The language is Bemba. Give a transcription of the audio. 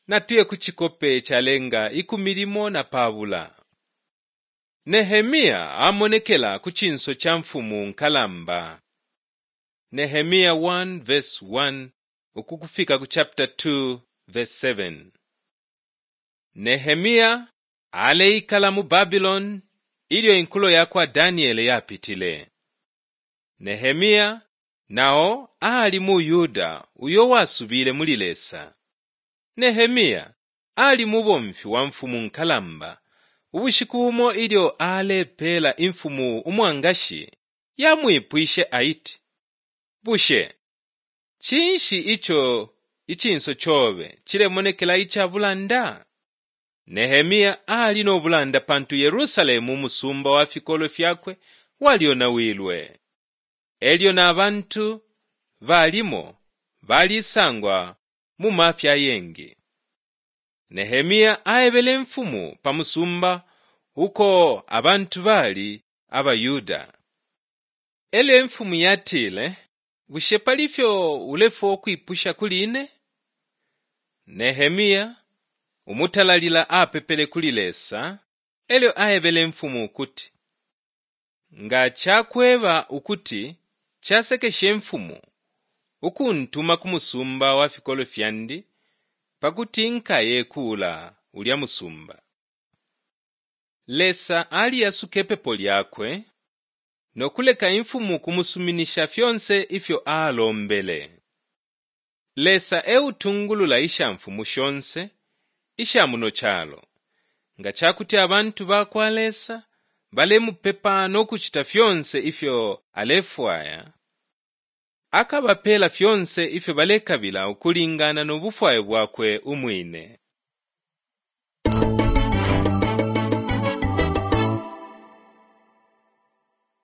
Natuye ku cikope calenga 12. Nehemia amonekela ku cinso ca mfumu nkalamba. Nehemia 1 verse 1 ukufika ku chapter 2 verse 7. Nehemia aleikala mu Babiloni ilyo inkulo ya kwa Daniele yapitile. Nehemia nao ali mu Yuda uyo wasubile muli Lesa. Nehemia ali mubomfi wa mfumu nkalamba. Ubushiku bumo ilyo alepeela imfumu umwangashi, yamwipwishe aiti, Bushe cinshi ico icinso cobe cilemonekela ica bulanda? Nehemia ali no bulanda pantu Yerusalemu umusumba wa fikolwe fyakwe walyonawilwe. Elyo na bantu balimo balisangwa mu mafya ayengi. Nehemia aebele imfumu pa musumba uko abantu bali abaYuda. Elyo imfumu yatile, Bushe pali ifyo ulefwaya ukwipusha kuli ine? Nehemia umutalalila apepele kuli Lesa, elyo aebele imfumu ukuti, Nga cakweba ukuti casekeshe imfumu ukuntuma ku musumba wa fikolwe fyandi pakuti nkaye kuula ulya musumba. Lesa aliyasuka ipepo lyakwe no kuleka imfumu kumusuminisha fyonse ifyo alombele. Lesa e utungulula ishamfumu shonse isha muno calo. Nga ca kuti abantu ba kwa Lesa balemupepa no kucita fyonse ifyo alefwaya, akabapeela fyonse ifyo balekabila ukulingana no bufwayo bwakwe umwine.